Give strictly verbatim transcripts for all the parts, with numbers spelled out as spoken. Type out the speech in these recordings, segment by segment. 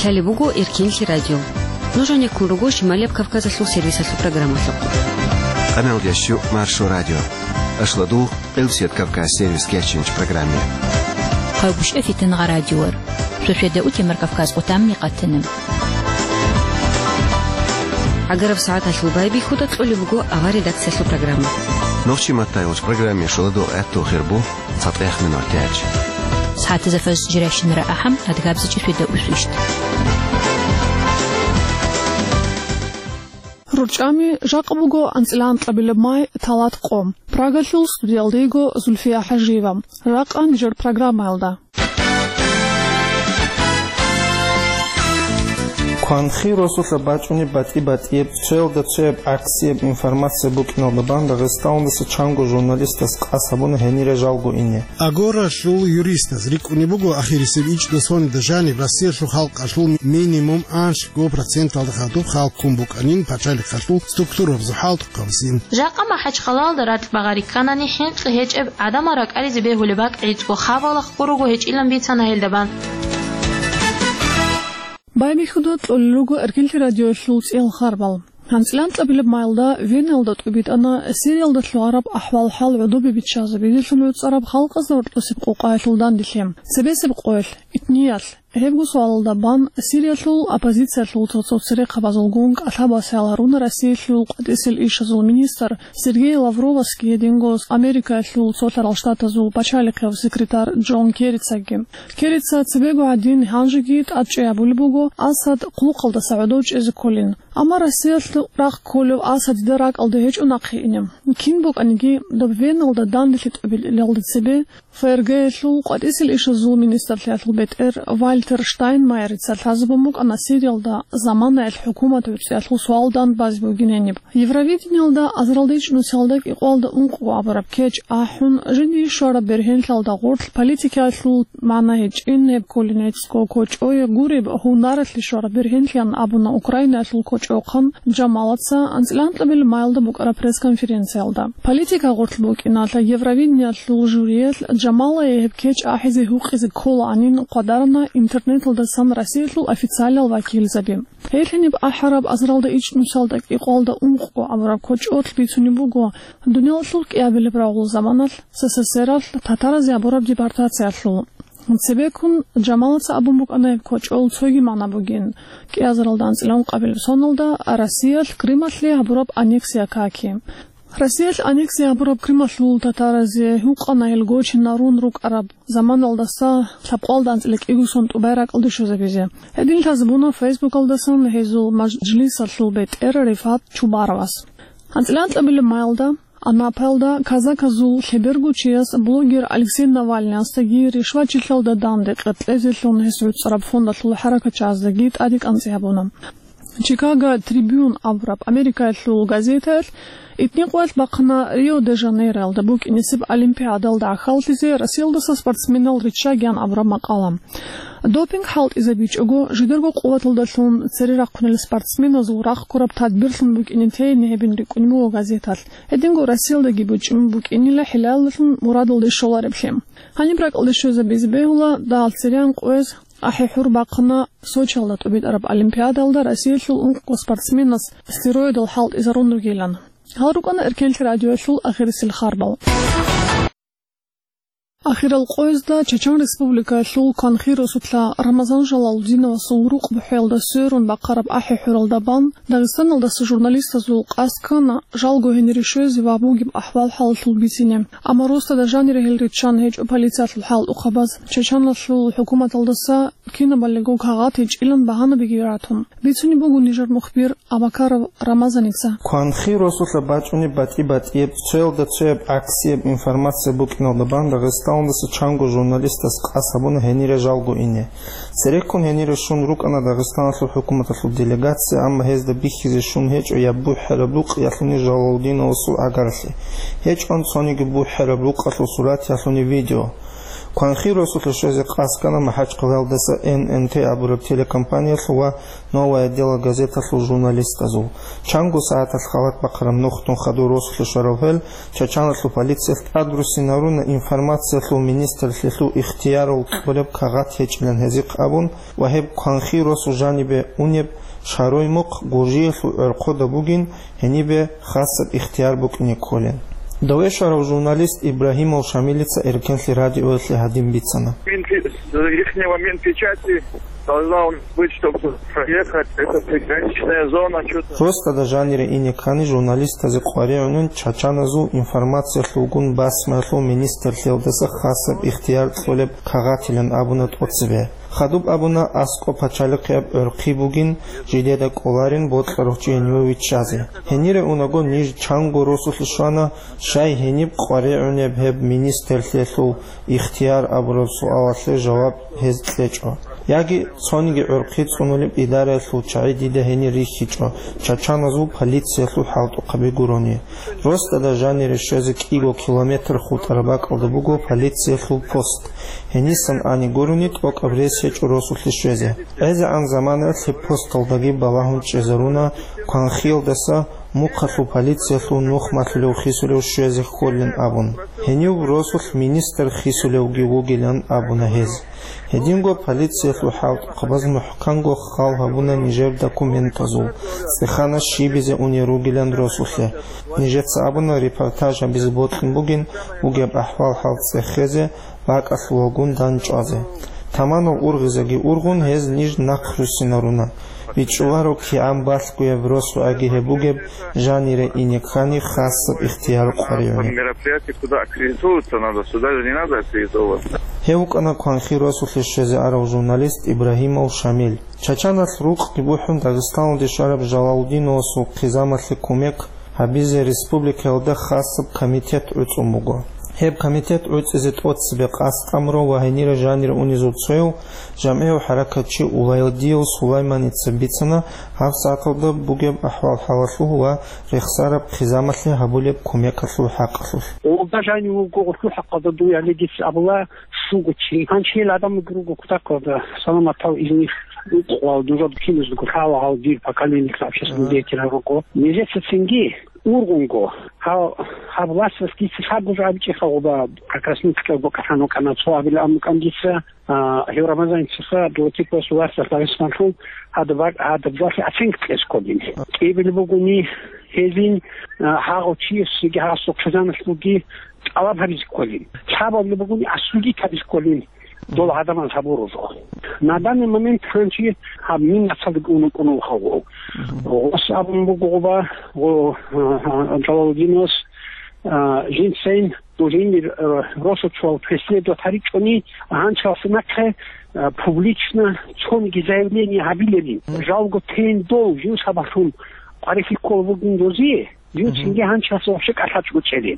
Лъалеб буго Эркенлъи радио. Нуж гьанеккун руго Шималияб Кавказалъул сервисалъул программалъухъ. Къаналдящу Маршо радио. Ашладугъ Къилсият Кавказ сервис кечинч программе. Къавгушев Фитингъа радиор. Шошеда утемар Кавказ къутамни къатина. Агараб сагӀаталъул байбихьуда кьолеб буго авар редакциялъул программа. Нохчи матайулч программе шуладул гӀатту хирбу. ЦатӀех минутач. СагӀатазда фаз жирашинара ахӀам, адгабзичи фида усвищ. РурчӀами, жакъа буго анцӀила анкьабилеб май, талат къо. Прагалъул студиялда йиго Зульфия ХӀажиева. Жакъа нижер программаялда. Кванхи росулъа бачӀунеб батӀи-батӀияб, цоялда цояб гӀаксияб информация букӀиналда бан Дагъистаналдаса чанго журналистас къасд гьабуна гьенире жалго ине. Агоралъул юристаз рикӀкӀунеб буго ахирисеб ичӀнусонда жаниб Россиялъул халкъалъул минимум анлъго проценталда хадуб халкъ ккун букӀанин пачалихъалъул структурабазул хӀалтӀухъабазин. Жакъа МахӀачхъалаялда ракь багъари кканани, хӀинкъи гьечӀеб гӀадамал ракӀаризе бегьулеб бакӀ гӀицӀго хабалахъго руго гьечӀилан бицана гьелда бан. Байбихьуда кьолел руго Эркенлъи радиоялъул цӀиял харбал. АнцӀила анкьабилеб майда Веналда тӀубитӀана Сириялда лъугӀараб ахӀвал-хӀал гӀодобе биччазе бедерлъун гӀуцӀараб халкъазда гьоркьосеб къокъаялъул данделъи. Цебесеб къоялъ, итниялъ, гьебго суалалда бан Сириялъул оппозициялъул цо-цо церехъабазулгун кӀалъабасел гьаруна Россиялъул къватӀисел ишазул министр Сергей Лавровасги гьединго Америкаялъул Цолъарал Штатазул пачалихъев секретарь Джон Керрицаги. Керрица цебего гӀадин гьанжеги тӀадчӀей абулеб буго Асад хъулухъалдаса гӀодов чӀезе кколин. Амма Россиялъ рахъ кколев Асад дида ракӀалда гьечӀо нахъе ине. Кин букӀаниги, доб Веналда данделъи тӀубилелалда цебе ФРГ-ялъул къватӀисел ишазул министрлъиялъул бетӀер Вальтер Штайнмайерица лъазабун букӀана Сириялда заманаялъ хӀукумат гӀуцӀиялъул суал дан базе бугин гьениб. Евровидениялда азаралда ичӀнусиялда кӀикъоялда ункъго абураб кечӀ ахӀун, жиндие щвараб бергьенлъиялда гъорлъ политикаялъул магӀна гьечӀин гьеб кколин гӀицӀго кочӀое гуреб гьунаралъе щвараб бергьенлъиян абуна Украинаялъул кочӀохъан Джамалаца анцӀила анкьабилеб майда букӀараб пресс-конференциялда. Политика гъорлъ букӀиналъа Евровидениялъул жюриялъ Джамалае гьеб кечӀ ахӀизе гьукъизе кколаанин хъвадарана интернеталдасан Россиялъул официалиял вакилзаби. Гьелъиниб ахӀараб азаралда ичӀнусалда кӀикъоялда ункъго абураб кочӀолъ бицунеб буго, дуниялалъул кӀиабилеб рагъул заманалъ СССРалъ татаразе гьабураб депортациялъул. Цебеккун Джамалаца абун букӀана гьеб кочӀол цоги магӀна бугин, кӀиазаралда анцӀила ункъабилеб соналда Россиялъ Крымалъе гьабураб аннексия каки. Россиялъ аннексия гьабураб Крымалъул татаразе гьукъана гьел гочинарун рукӀараб заманалдаса лъабкъоялда анцӀила кӀиго сон тӀубай ракӀалде щвезабизе. Гьедин лъазабуна Фейсбукалдасан гьезул мажлисалъул бетӀер Рифат Чубаровас. АнцӀила анкьабилеб майда Анапаялда казаказул лъеберго чияс блогер Алексей Навальныясдаги ришвачилъалда данде къеркьезелъун гьес гӀуцӀараб фондалъул хӀаракатчияздаги тӀаде кӀанцӀи гьабуна. Чикаго Трибюн абураб Америкаялъул газетаялъ итни къоялъ бахъана Рио-де-Жанейроялда букӀинесеб Олимпиадалда гӀахьаллъизе Россиялдаса спортсменал риччагиян абураб макъала. Допинг хӀалтӀизабичӀого, жидерго къуваталдалъун цере рахъунел спортсменазул рахъ ккураб тадбирлъун букӀине тейин гьебин рикӀкӀунеб буго газеталъ. Гьединго Россиялдаги бучӀун букӀинила хӀилалалъун мурадалде щолареблъи. Гьаниб ракӀалде щвезабизе бегьула дагьал цереян къояз ахӀи-хӀур бахъана Сочиялда тӀубитӀараб Олимпиадалда Россиялъул ункъго спортсменас стероидал хӀалтӀизарун ругилан. Гьал рукӀана Эркенлъи радиоялъул ахирисел харбал. Ахирал къоязда Чечен Республикаялъул Кванхи росулъа Рамазан Жалалудиновасул рукъ бухӀеялда сверун бахъараб ахӀи-хӀуралда бан Дагъистаналдаса журналистазул къасд ккана жалго гьенире щвезе ва бугеб ахӀвал-хӀалалъул бицине. Амма росдада жанире гьел риччан гьечӀо полициялъул хӀалтӀухъабаз, Чеченалъул хӀукуматалдаса кинабалиго кагъат гьечӀилан багьанабиги ратун. Бицунеб буго нижер мухбир Абакаров Рамазаница. Кванхи росулъа бачӀунеб батӀи-батӀияб, цоялда цояб гӀаксияб информация букӀиналда бан Дагъистаналдаса чанго журналистас къасд гьабуна гьенире жалго ине. Цереккун гьенире щун рукӀана Дагъистаналъул хӀукуматалъул делегация, амма гьезда бихьизе щун гьечӀо я бухӀараб рукъ, ялъуни Жалалудиновасул агарлъи. ГьечӀон цониги бухӀараб рукъалъул сурат, ялъуни видео. Кванхи росулъе щвезе къасд ккана МахӀачхъалаялдаса Н Н Т абураб телекомпаниялъул ва «Новое дело» газеталъул журналистазул. Чанго сагӀаталъ халат бахъараб нухдун хадур росулъе щварав гьел, Чачаналъул полициялъ тӀадруссинал руна информациялъул министрлъиялъул ихтиярал кьолеб кагъат гьечӀилан гьезихъ абун ва гьеб кванхи росу жанибе унеб шарой мухъ гуржиялъул гӀорхъода бугин, гьенибе хасаб ихтияр букӀине кколин. Дове щварав журналист Ибрагьимов Шамилица Эркенлъи радиоялъе гьадин бицана. Минпи-, ихнего Минпечати должна у нас быть, чтобы проехать. Это приграничная зона, что-то. Росдада жанире ине ккани журналистазе къваригӀунин чачаназул информациялъулгун басмаялъул министрлъиялдаса хасаб ихтияр кьолеб кагъатилан абуна тӀоцебе. Хадуб абуна аскӀоб пачалихъияб гӀорхъи бугин, жидеда кӀоларин бокьарав чи гьениве виччазе. Гьенире унаго ниж чанго росулъе щвана, щай гьениб къваригӀунеб гьеб министрлъиялъул ихтияр абураб суалалъе жаваб гьез кьечӀо. Яги цониги гӀорхъи цӀунулеб идараялъул чагӀи дида гьенир рихьичӀо, чачаназул полициялъул хӀалтӀухъаби гурони. Росдада жанире щвезе кӀиго километр хутӀараб бакӀалда буго полициялъул пост. Гьенисан ани гурони тӀокӀаб рес гьечӀо росулъе щвезе. ГӀезегӀан заманаялъ гьеб посталдаги балагьун чӀезаруна кванхиялдаса мухъалъул полициялъул нух малъулев хисулев щвезе кколин абун. Гьенив росулъ министр хисулевги вугилан абуна гьез. Гьединго полициялъул хӀалтӀухъабаз мухӀканго хал гьабуна нижер документазул, цӀехана щибизе унел ругилан росулъе. Нижеца абуна репортаж гьабизе бокьун бугин, бугеб ахӀвал-хӀал цӀехезе, бакӀалъувалгун дандчӀвазе. Таманал ургъизеги ургъун, гьез ниж нахъ руссинаруна. БичӀчӀуларо кигӀан балъгояб росугӀаги гьеб бугеб жанире ине ккани хасаб ихтияр къваригӀуна. Мероприятие, куда аккредитовываться надо, сюда же не надо аккредитовываться. Гьев вукӀана кванхи росулъе щвезе арав журналист Ибрагьимов Шамил. Чачаналъ рукъги бухӀун Дагъистаналде щвараб Жалалудиновасул хъизамалъе кумек гьабизе республикаялда хасаб комитет гӀуцӀун буго. Гьеб комитет гӀуцӀизе тӀоцебе къасд тӀамурав ва гьенире жанир унезул цояв жамгӀияв хӀаракатчи Уладиев Сулайманица бицана гьаб сагӀаталда бугеб ахӀвал-хӀалалъул ва рехсараб хъизамалъе гьабулеб кумекалъул хӀакъалъулъ. Гъолда жанив вуго гъулъул хӀакъалда дуе гьале дица абула, щуго чи. Гьанчи гьел гӀадамалги руго кутакалда, саламатал изних, укъвал, нужер киназдаго лъала гьал дир поколениялъ общественный деятель руго. Нижеца цинги ургъунго, гьал, гьаб власталъ дица лъабго жо абичӀеха гъоба, как раз нуцӀкӀабго кӀалъан вукӀана, цо абилан букӀан дица, а, гьев Рамазанцаха Абдулатиповас власталъ Дагъистанлъун гьадаб-, гьадаб жоялъе оценка кьезе кколин. КӀиабилеб бугони гьезин, а, гьагъав чиясеги гьасухъ хъизаналъулги тӀалаб гьабизе кколин. Лъабабилеб бугони осудить гьабизе кколин. Дол гӀадамаз гьабурузухъ. На данный момент гьанчи гьаб Миннацалдаги ункъун вуго. Гъос абун буго гъоба, гъо-, Джалалудиновас, а, жинцайин дужинни, а, росочуал преследовать гьаричӀони, гьанчалса нахъе, а, публично цониги заявление гьабилебин. Жалго тейин дол жив сабаблъун къварилъи ккола бугин дозе. Див цинги гьанчалъ вообще кӀалъачӀого чӀезе.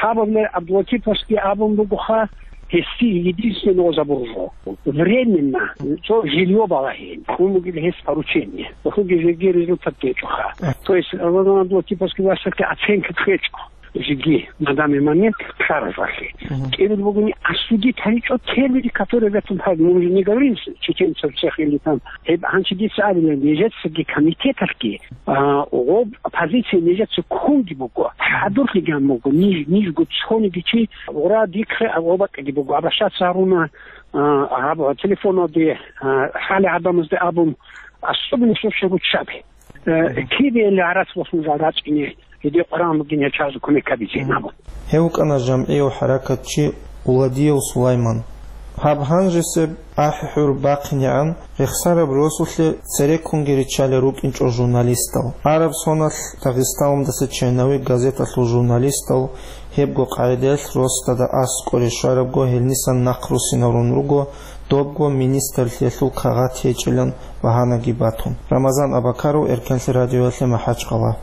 Лъабабилеб Абдулатиповасги абун бугоха, гьесие единственного забуржо. Временно, цо жилье балагье. Ун бугеб гьес поручение. Цохуги жеги результат гьечӀоха. То есть, Рамазан Абдулатиповасги васалъе оценка кьечӀо. Жеги, на данный момент, ккаразалъе. КӀиабилеб бугони осудить гьаричӀо те люди, которые в этом, мы уже не говорим с чеченцев всех или там, гьеб гьанчи дица абилан, нижецаги комитеталъги, А, гъоб позиция нижеца ккунги буго, хӀадурлъиги гьабун буго, ниж, нижго цониги чи гъура дихъе гъоб бакӀиги буго, обращаться гьаруна, а, гьаб телефоналде, а, хӀале гӀадамазде абун, особенно соцсеть руччаби. Э, кибе гӀарац босун жал рачӀине, гьедин Къуран бугин гьечӀазу кумек гьабизе абун. Гьев вукӀана жамгӀияв хӀаракатчи Уладиев Сулайман. Гьаб гьанжесеб ахӀи-хӀур бахъинегӀан, рехсараб росулъе цереккунги риччалел рукӀинчӀо журналистал. Араб соналъ Дагъистаналдаса Черновик газеталъул журналистал гьебго къагӀидаялъ росдада аскӀоре щварабго гьелнисан нахъ руссинарун руго, добго министрлъиялъул кагъат гьечӀилан багьанаги батун. Рамазан Абакаров, Эркенлъи радиоялъе, МахӀачхъала.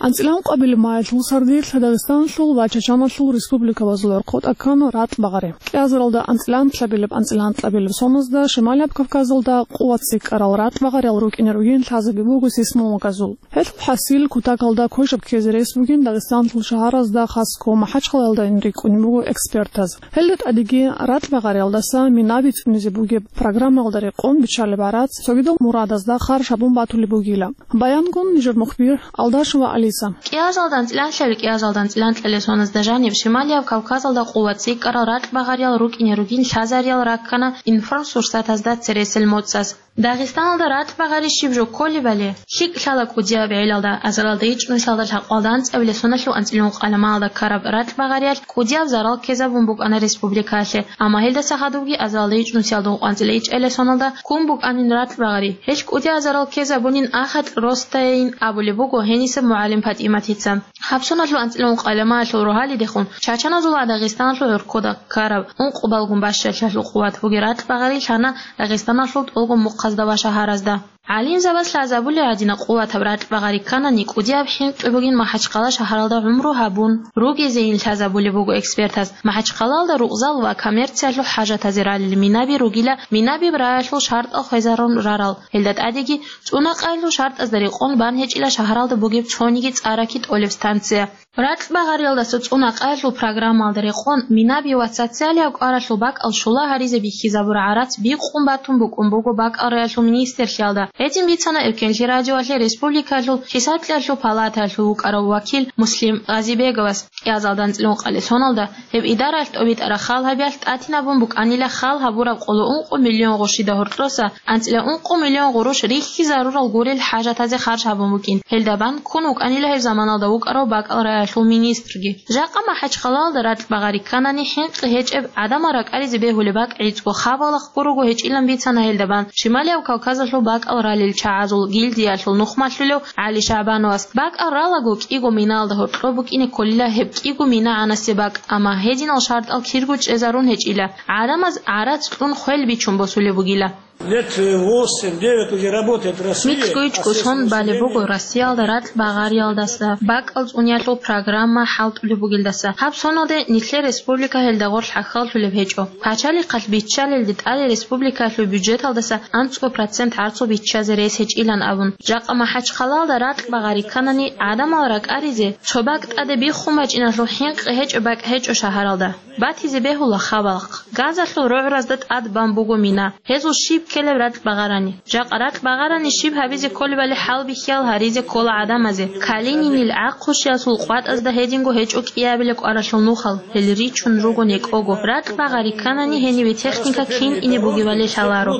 АнцӀила ункъабилеб майилъул сардилъ Дагъистаналъул ва Чачаналъул республикабазул гӀорхъ тӀад ккана ратӀбагъари. КӀиазаралда анцӀила анлъабилеб-анцӀила анкьабилеб соназда Шималияб Кавказалда къуват цӀикӀкӀарал ратӀбагъариял рукӀине ругин лъазаби буго сейсмологазул. Гьелъул хӀасил кутакалда квешаб ккезе рес бугин Дагъистаналъул шагьаразда, хасго МахӀачхъалаялда рикӀкӀунеб буго экспертаз. Гьелда тӀадеги ратӀбагъариялдаса мина бицунизе бугеб программаялда рекъон биччалеб гӀарац цогидал мурадазда харж гьабун батулеб бугила. Баянгун нижер мухбир Алдашева Алиса. КӀиазалда анцӀила анлъабилеб, кӀиазалда анцӀила анкьабилеб соназда жаниб Шималияб Кавказалда къуват цӀикӀкӀарал ратӀбагъариял рукӀине ругин лъазариял раккана информсурсатазда цересел моцӀаз. Дагъистаналда ратӀбагъари щиб жо кколебали, лъикӀ лъала кӀудияб гӀелалда, азаралда ичӀнусиялда лъабкъоялда анцӀабилеб соналъул анцӀила ункъабилеб майилда ккараб ратӀбагъариялъ кӀудияб зарал ккезабун букӀана республикалъе, амма гьелдаса хадубги азаралда ичӀнусиялда ункъоялда анцӀила ичӀабилеб соналда ккун букӀанин ратӀбагъари. Гьелъ кӀудияб зарал ккезабунин ахатӀ росдайин абулеб буго гьениса МугӀалим ПатӀиматица. Гьаб соналъул анцӀила ункъабилеб майилъул рогьалидехун Чачаназул ва Дагъистаналъул гӀорхъода ккараб ункъабилеб бащалъиялъул къуват бугеб ратӀбагъари лъана Дагъистаналъул тӀолго мухъазда ва шагьаразда. ГӀалимзабаз лъазабулеб гӀадин къуватаб ратӀбагъари кканани, кӀудияб хӀинкъи бугин МахӀачхъала шагьаралда гӀумру гьабун ругезейин лъазабулеб буго экспертаз. МахӀачхъалаялда рукъзал ва коммерциялъул хӀажатазе ралел минаби ругила, минаби раялъул шартӀал хвезарун рарал. Гьелда тӀадеги цӀунакъаялъул шартӀазда рекъон бан гьечӀила шагьаралда бугеб цониги цӀараки тӀолеб станция. РатӀбагъариялдаса цӀунакъаялъул программаялда рекъон минаби ва социалияб кӀваралъул бакӀал щула гьаризе бихьизабураб гӀарац бикъун батун букӀун буго бакӀал раялъул министрлъиялда. Гьедин бицана Эркенлъи радиоялъе республикаялъул хӀисаблъиялъул палатаялъул вукӀарав вакил Муслим Гъазибеговас. КӀиазалда анцӀила ункъабилеб соналда гьеб идараялъ тӀобитӀараб хал гьабиялъ тӀатинабун букӀанила хал гьабураб къоло ункъо миллион гъурущида гьоркьоса анцӀила ункъо миллион гъурущ рихьизарурал гурел хӀажатазе харж гьабун букӀин. Гьелда бан ккун вукӀанила гьеб заманалда вукӀарав бакӀал раялъул министрги. Жакъа МахӀачхъалаялда ратӀбагъари кканани хӀинкъи гьечӀеб, гӀадамал ракӀаризе бегьулеб бакӀ гӀицӀго хабалахъго руго гьечӀилан бицана гьелда бан Шималияб Кавказалъул бакӀал ралел чагӀазул гильдиялъул нухмалъулев ГӀали ШагӀбановас. БакӀал ралаго кӀиго минаялда гьоркьоб букӀине кколила гьеб кӀиго мина гӀанасе бакӀ, амма гьединал шартӀал кирго чӀезарун гьечӀила. ГӀадамаз гӀарац кьун хвел бичун босулеб бугила. Лет восемь-девять уже работает в России. МицӀго-ичӀго сон балеб буго Россиялда ратӀбагъариялдаса бакӀал цӀуниялъул программа хӀалтӀулеб бугелдаса. Гьаб соналде нилъер республика гьелда гъорлъ хӀахьаллъулеб гьечӀо. Пачалихъалъ биччалелде тӀаде республикаялъул бюджеталдаса анцӀго процент гӀарцул биччазе рес гьечӀилан абун. Жакъа МахӀачхъалаялда ратӀбагъари кканани, гӀадамал ракӀаризе цо бакӀ тӀаде биххун бачӀиналъул хӀинкъи гьечӀеб бакӀ гьечӀо шагьаралда. Батизе бегьула хабалахъ. Газалъул рогӀразда тӀад бан буго мина. Гьезул щиб ккелеб ратӀбагъарани? Жакъа ратӀбагъарани щиб гьабизе кколебали хӀалбихьиял гьаризе ккола гӀадамазе. Калининил гӀахъущиялъул къватӀазда гьединго гьечӀо кӀиабилеб кӀваралъул нухал, гьел ричун руго некӀого. РатӀбагъари кканани гьенибе техника кин ине бугебали лъаларо.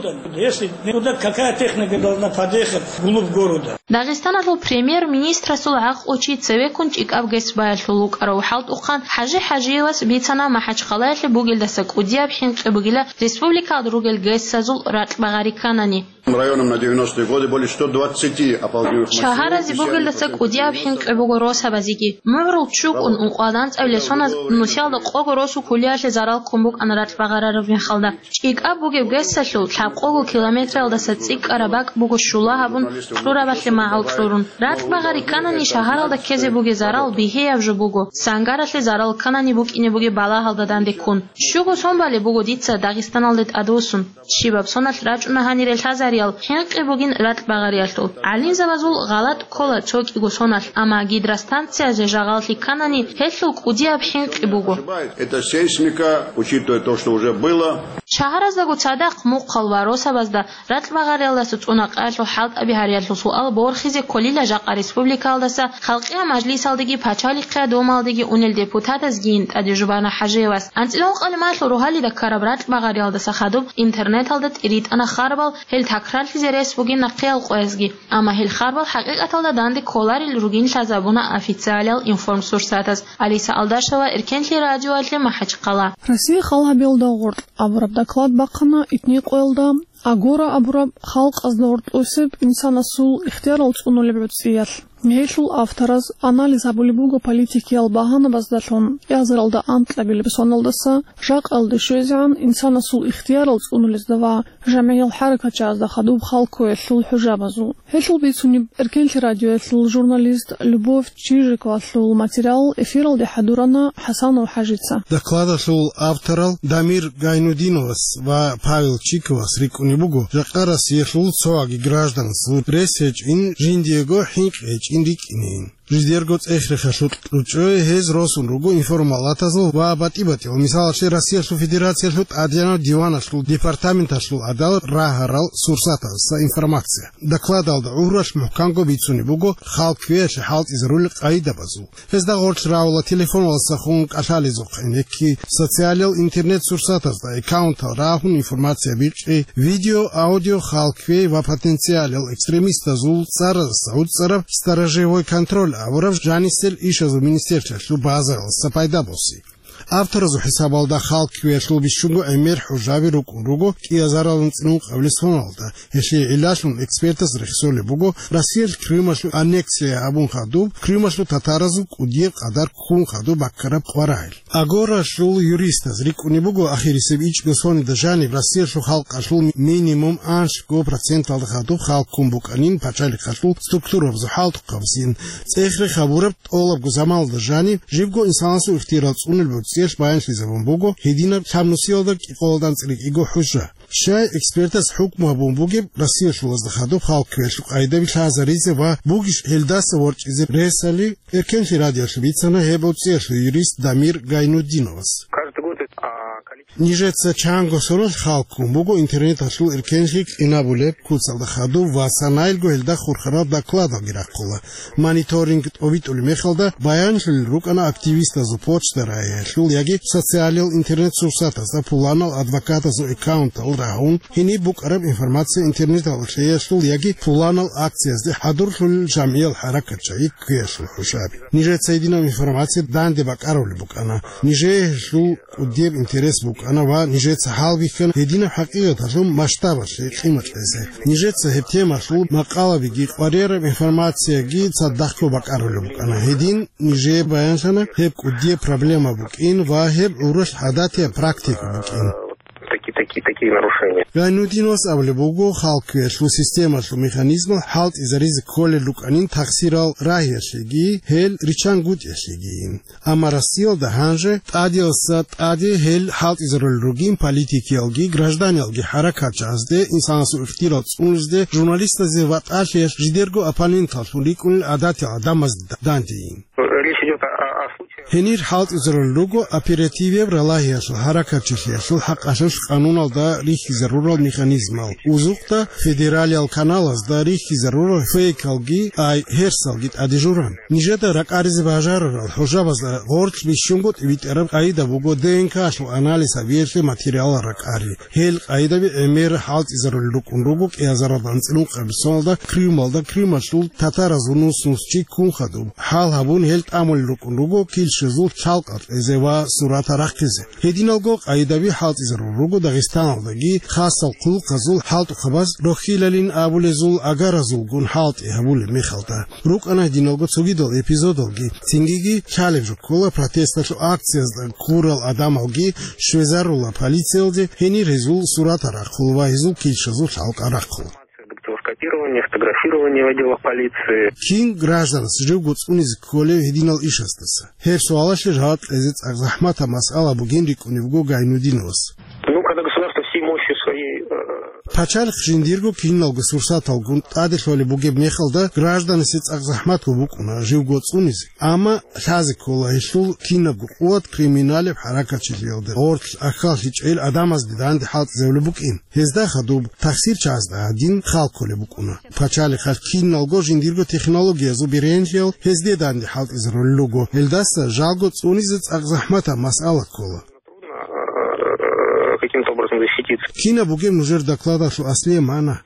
Если куда, какая техника должна подъехать вглубь города? Дагъистаналъул премьер-министрасул гӀакълу чи цевеккун ЧӀикӀаб ГЭС баялъул вукӀарав хӀалтӀухъан ХӀажи ХӀажиевас бицана МахӀачхъалаялъе бугелдаса кӀудияб хӀинкъи бугила республикалда ругел ГЭС-азул ратӀбагъари кканани. Районам на девяностые годы более ста двадцати оползних массивов. Шагьаразе бугелдаса кӀудияб хӀинкъи буго росабазеги. МугӀрул чӀукӀун ункъоялда анцӀабилеб соназ нусиялда къого росу кулиялъе зарал ккун букӀана ратӀбагъарараб мехалда. ЧӀикӀаб бугеб ГЭС-алъул лъабкъого километралдаса цӀикӀкӀараб бакӀ буго щула гьабун, кьурабалъе магӀал кьурун. РатӀбагъари кканани шагьаралда ккезе бугеб зарал бигьияб жо буго, сангаралъе зарал кканани букӀине бугеб балагьалда данде ккун. Щуго сон балеб буго дица Дагъистаналде тӀадвуссун. Щибаб соналъ рачӀуна гьанире лъазариял хӀинкъи бугин ратӀбагъариялъул. ГӀалимзабазул гъалатӀ ккола цо кӀиго соналъ, амма гидростанциязе жагъаллъи кканани, гьелъул кӀудияб хӀинкъи буго. Это сейсмика, учитывая то, что уже было. Шагьараздаго цадахъ мухъал ва росабазда ратӀбагъариялдаса цӀунакъаялъул хӀалтӀаби гьариялъул суал борхизе кколила жакъа республикаялдаса Халкъиял мажлисалдеги Пачалихъ Думалдеги унел депутатазгийин тӀаде Жубана ХӀажиевас. АнцӀила ункъабилеб майилъул рогьалида ккараб ратӀбагъариялдаса хадуб интернеталда тӀиритӀана харбал, гьел такрарлъизе рес бугин нахъеял къоязги. Амма гьел харбал хӀакъикъаталда данде кколарел ругин лъазабуна официалиял информсурсатаз. Алиса Алдашева, Эркенлъи радиоялъе, МахӀачхъала. Россия хал гьабиялда гъоркь абураб доклад бахъана итни къоялда Агора абураб халкъазда гьоркьосеб инсанасул ихтиярал цӀунулеб гӀуцӀиялъ. Гьелъул автораз анализ гьабулеб буго политикиял багьанабаздалъун кӀиазаралда анкьабилеб соналдаса жакъалде щвезегӀан инсанасул ихтиярал цӀунулезда ва жамгӀиял хӀаракатчагӀазда хадуб халккоялъул хӀужабазул. Гьелъул бицунеб Эркенлъи радиоялъул журналист Любовь Чижиковалъул материал эфиралде хӀадурана ХӀасанов ХӀажица. Докладалъул авторал Дамир Гайнудиновас ва Павел Чиковас рикӀкӀунеб буго, жакъа Россиялъул цоги гражданасул рес гьечӀин, жиндиего хӀинкъи гьечӀин рикӀкӀинейин. Жидерго цӀех-рехалъул кьучӀое гьез росун руго информалатазул ва батӀи-батӀиял, мисалалъе, Россиялъул Федерациялъул тӀадегӀанав диваналъул департаменталъул гӀадал рагьарал сурсатазда информация. Докладалда гӀуралъ мухӀканго бицунеб буго халкквеялъе хӀалтӀизарулел къайдабазул. Гьезда гъорлъ равула телефоналдаса хун кӀалъалезухъе, гӀенекки социалиял интернет-сурсатазда аккаунтал рагьун информация бичӀчӀи, видео, аудио, халкквей ва потенциалиял экстремистазул цӀараздаса гӀуцӀараб сторожевой контроль абураб жанисел ишазул министерствоялъул базаралдаса пайда боси. Авторазул хӀисабалда халкквеялъул бищунго гӀемер хӀужаби рукӀун руго кӀиазаралда анцӀила ункъабилеб соналда. Гьелъие гӀиллалъун экспертаз рехсолеб буго Россиялъ Крымалъул аннексия гьабун хадуб, Крымалъул татаразул кӀудияб къадар ккун хадуб баккараб къварагӀел. Агоралъул юристаз рикӀкӀунеб буго, ахирисеб ичӀго соналда жаниб Россиялъул халкъалъул минимум анлъго проценталда хадуб халккун букӀанин пачалихъалъул структурабазул хӀалтӀухъабазин. ЦӀех-рех гьабураб тӀолабго заманалда жаниб, живго инсанасул ихтиярал цӀунулеб гӀуцӀиялъ баянлъизабун буго гьединаб лъабнусиялда кӀикъоялда анцӀила кӀиго хӀужа. Щай экспертаз хӀукму гьабун бугеб Россиялъулазда хадуб халкквеялъул къайдаби лъазаризе ва бугищ гьелдаса ворчӀизе ресали, Эркенлъи радиоялъ бицана гьеб гӀуцӀиялъул юрист Дамир Гайнуддиновас. Каждый год это, а, количество Нижеца чанго соналъ халккун буго интернеталъул эркенлъи кьинабулеб куцалда хадуб ва санаялго гьелда хурхарал докладалги рахъула. Мониторинг тӀобитӀулеб мехалда баянлъулел рукӀана активистазул почта рагьиялъул яги социалиял интернет-сурсатазда пуланал адвокатазул аккаунтал рагьун, гьениб букӀараб информация интернеталда лъеялъул яги пуланал акциязде хӀадурлъулел жамгӀиял хӀаракатчагӀи кквеялъул хӀужаби. Нижеца гьединаб информация данде бакӀарулеб букӀана. Нижее гьелъул кӀудияб интерес букӀана ва нижеца гьалбихьана гьединаб хӀакъикъаталъул масштабалъе къимат кьезе. Нижеца гьеб темалъул макъалабиги къваригӀараб информацияги цадахъго бакӀарулеб букӀана. Гьедин нижее баянлъана гьеб кӀудияб проблема букӀин ва гьеб гӀуралъ гӀадатияб практика букӀин. Такие, такие, такие нарушения. Гайнуддиновас абулеб буго, халкквеялъул системалъул механизмал хӀалтӀизаризе кколел рукӀанин тахсирал рагьиялъеги, гьел риччан гутӀиялъегийин. Амма Россиялда гьанже тӀадиялдаса тӀаде гьел хӀалтӀизарулел ругин политикиялги гражданиялги хӀаракатчагӀазде, инсанасул ихтиярал цӀунулезде, журналистазде ва тӀалъиялъ жидерго оппоненталлъун рикӀкӀунел гӀадатиял гӀадамазде дандейин. Речь идёт о, о, о случае. Гьенир хӀалтӀизарулел руго оперативияб ралагьиялъул хӀаракатчилъиялъул хӀакъалъулъ къануналда рихьизарурал механизмал, узухъда федералиял каналазда рихьизарурал фейкалги, ай, гьерсалги тӀаде журан. Нижеда ракӀаризе бажарарал хӀужабазда гъорлъ бищунго тӀибитӀараб къайда буго ДНК-лъул анализ гьабиялъе материалал ракӀари. Гьел къайдаби гӀемер хӀалтӀизарулел рукӀун руго кӀиазаралда анцӀила ункъабилеб соналда Крымалда Крымалъул татаразул нус-нусчи ккун хадуб. ХӀал гьабун гьел тӀамулел рукӀун руго килщазул лъалкӀал кьезе ва суратал рахъизе. Гьединалго къайдаби хӀалтӀизарулел руго Дагъистаналдаги, хасал хъулухъазул хӀалтӀухъабаз рохьилалин абулезул агаразулгун хӀалтӀи гьабулеб мехалда. РукӀана гьединалго цогидал эпизодалги, цингиги лъалеб жо ккола протесталъул акциязда ккурал гӀадамалги щвезарула полициялде, гьенир гьезул суратал рахъула ва гьезул килщазул лъалкӀал рахъула. Копирование, фотографирование в отделах полиции. Кин гражданас живго цӀунизе кколев гьединал ишаздаса? Гьеб суалалъе жаваб кьезе цӀакъ захӀматаб масъала бугин рикӀкӀунеб буго Гайнудиновас. Ну, когда государство всей мощью своей, э, Пачалихъ жиндирго киналго сурсаталгун тӀаде лъолеб бугеб мехалда, гражданасе цӀакъ захӀматго букӀуна живго цӀунизе, амма лъазе ккола гьелъул кинабго къуват криминалеб хӀаракатчилъиялда гъорлъ ахьаллъичӀел гӀадамазде данде хӀалтӀизабулеб букӀин. Гьезда хадуб тахсирчагӀазда гьадин хал кколеб букӀуна. Пачалихъалъ киналго жиндирго технологиязул беренлъиял гьезде данде хӀалтӀизарулел руго, гьелдаса жалго цӀунизе цӀакъ захӀматаб масъала ккола. Трудно, э, каким-то образом защититься. Кинаб бугеб нужер докладалъул аслияб магӀна?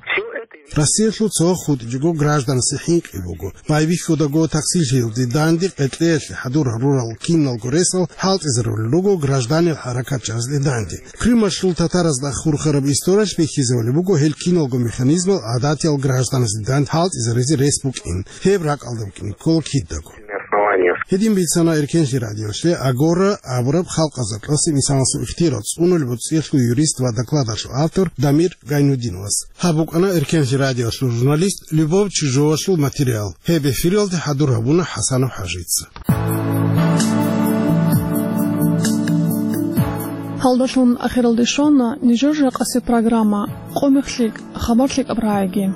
Всё это Россиялъул цо хутӀичӀого гражданасде хӀинкъи буго. Байбихьудаго таксилъиялде данде къеркьеялъе хӀадур гьарурал киналго ресал хӀалтӀизарулел руго гражданил хӀаракат чӀезде данде. Крымалъул татаразда хурхараб историялъ бихьизабулеб буго гьел киналго механизмал гӀадатиял гражданасде данде хӀалтӀизаризе рес букӀин. Гьеб ракӀалда букӀине ккола кидаго. Гьедин бицана Эркенлъи радиолъе «Агора» абураб халкъазда тӀаса инсанасул ихтияр цӀунулеб цӀиялъул юрист ва докладалъул автор Дамир Гайнудиновас. Гьаб букӀана Эркенлъи радиолъул журналист Любовь Чижовалъул материал. Гьеб эфиралде хӀадур гьабуна ХӀасанов ХӀажица. Гьалдалъун ахиралде щвана нижер жакъасеб программа «Къо мех лъикӀ, хабар лъикӀаб рагӀиги».